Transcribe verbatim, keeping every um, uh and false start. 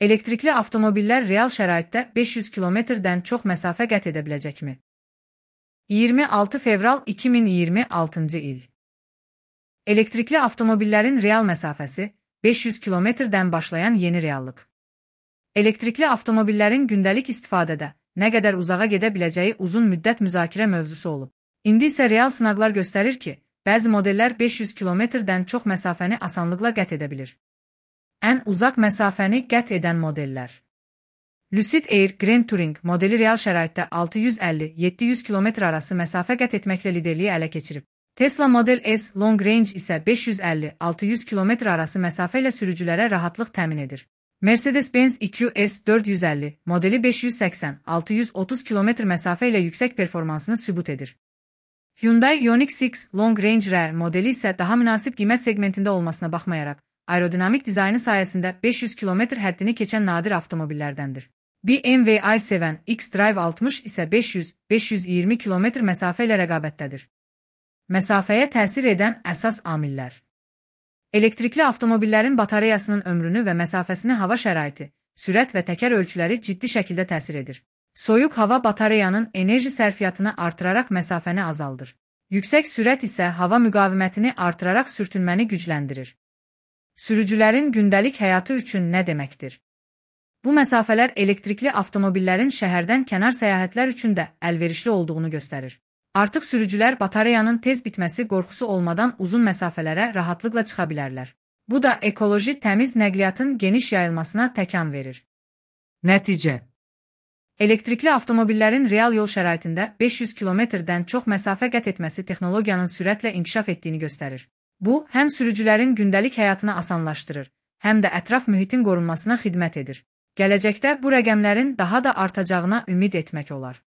Elektrikli avtomobillər real şəraitdə beş yüz kilometrdən çox məsafə qət edə biləcəkmi? iyirmi altı fevral iki min iyirmi altıncı il. Elektrikli avtomobillərin real məsafəsi beş yüz kilometrdən başlayan yeni reallıq. Elektrikli avtomobillərin gündəlik istifadədə nə qədər uzağa gedə biləcəyi uzun müddət müzakirə mövzusu olub. İndi isə real sınaqlar göstərir ki, bəzi modellər beş yüz kilometrdən çox məsafəni asanlıqla qət edə bilir. Ən uzaq məsafəni qət edən modellər. Lucid Air Grand Touring modeli real şəraitdə altı yüz əlli yeddi yüz kilometr arası məsafə qət etməklə liderliyi ələ keçirib. Tesla Model S Long Range isə beş yüz əlli altı yüz kilometr arası məsafə ilə sürücülərə rahatlıq təmin edir. Mercedes-Benz E Q S dörd yüz əlli modeli beş yüz səksən altı yüz otuz kilometr məsafə ilə yüksək performansını sübut edir. Hyundai Ioniq altı Long Range R modeli isə daha münasib qiymət segmentində olmasına baxmayaraq, aerodinamik dizaynı sayəsində beş yüz kilometr həddini keçən nadir avtomobillərdəndir. B M W i seven X-Drive altmış isə beş yüz beş yüz iyirmi kilometr məsafə ilə rəqabətdədir. Məsafəyə təsir edən əsas amillər. Elektrikli avtomobillərin batareyasının ömrünü və məsafəsini hava şəraiti, sürət və təkər ölçüləri ciddi şəkildə təsir edir. Soyuq hava batareyanın enerji sərfiyyatını artıraraq məsafəni azaldır. Yüksək sürət isə hava müqavimətini artıraraq sürtünməni gücləndirir. Sürücülərin gündəlik həyatı üçün nə deməkdir? Bu məsafələr elektrikli avtomobillərin şəhərdən kənar səyahətlər üçün də əlverişli olduğunu göstərir. Artıq sürücülər batareyanın tez bitməsi qorxusu olmadan uzun məsafələrə rahatlıqla çıxa bilərlər. Bu da ekoloji təmiz nəqliyyatın geniş yayılmasına təkan verir. Nəticə. Elektrikli avtomobillərin real yol şəraitində beş yüz kilometrdən çox məsafə qət etməsi texnologiyanın sürətlə inkişaf etdiyini göstərir. Bu, həm sürücülərin gündəlik həyatını asanlaşdırır, həm də ətraf mühitin qorunmasına xidmət edir. Gələcəkdə bu rəqəmlərin daha da artacağına ümid etmək olar.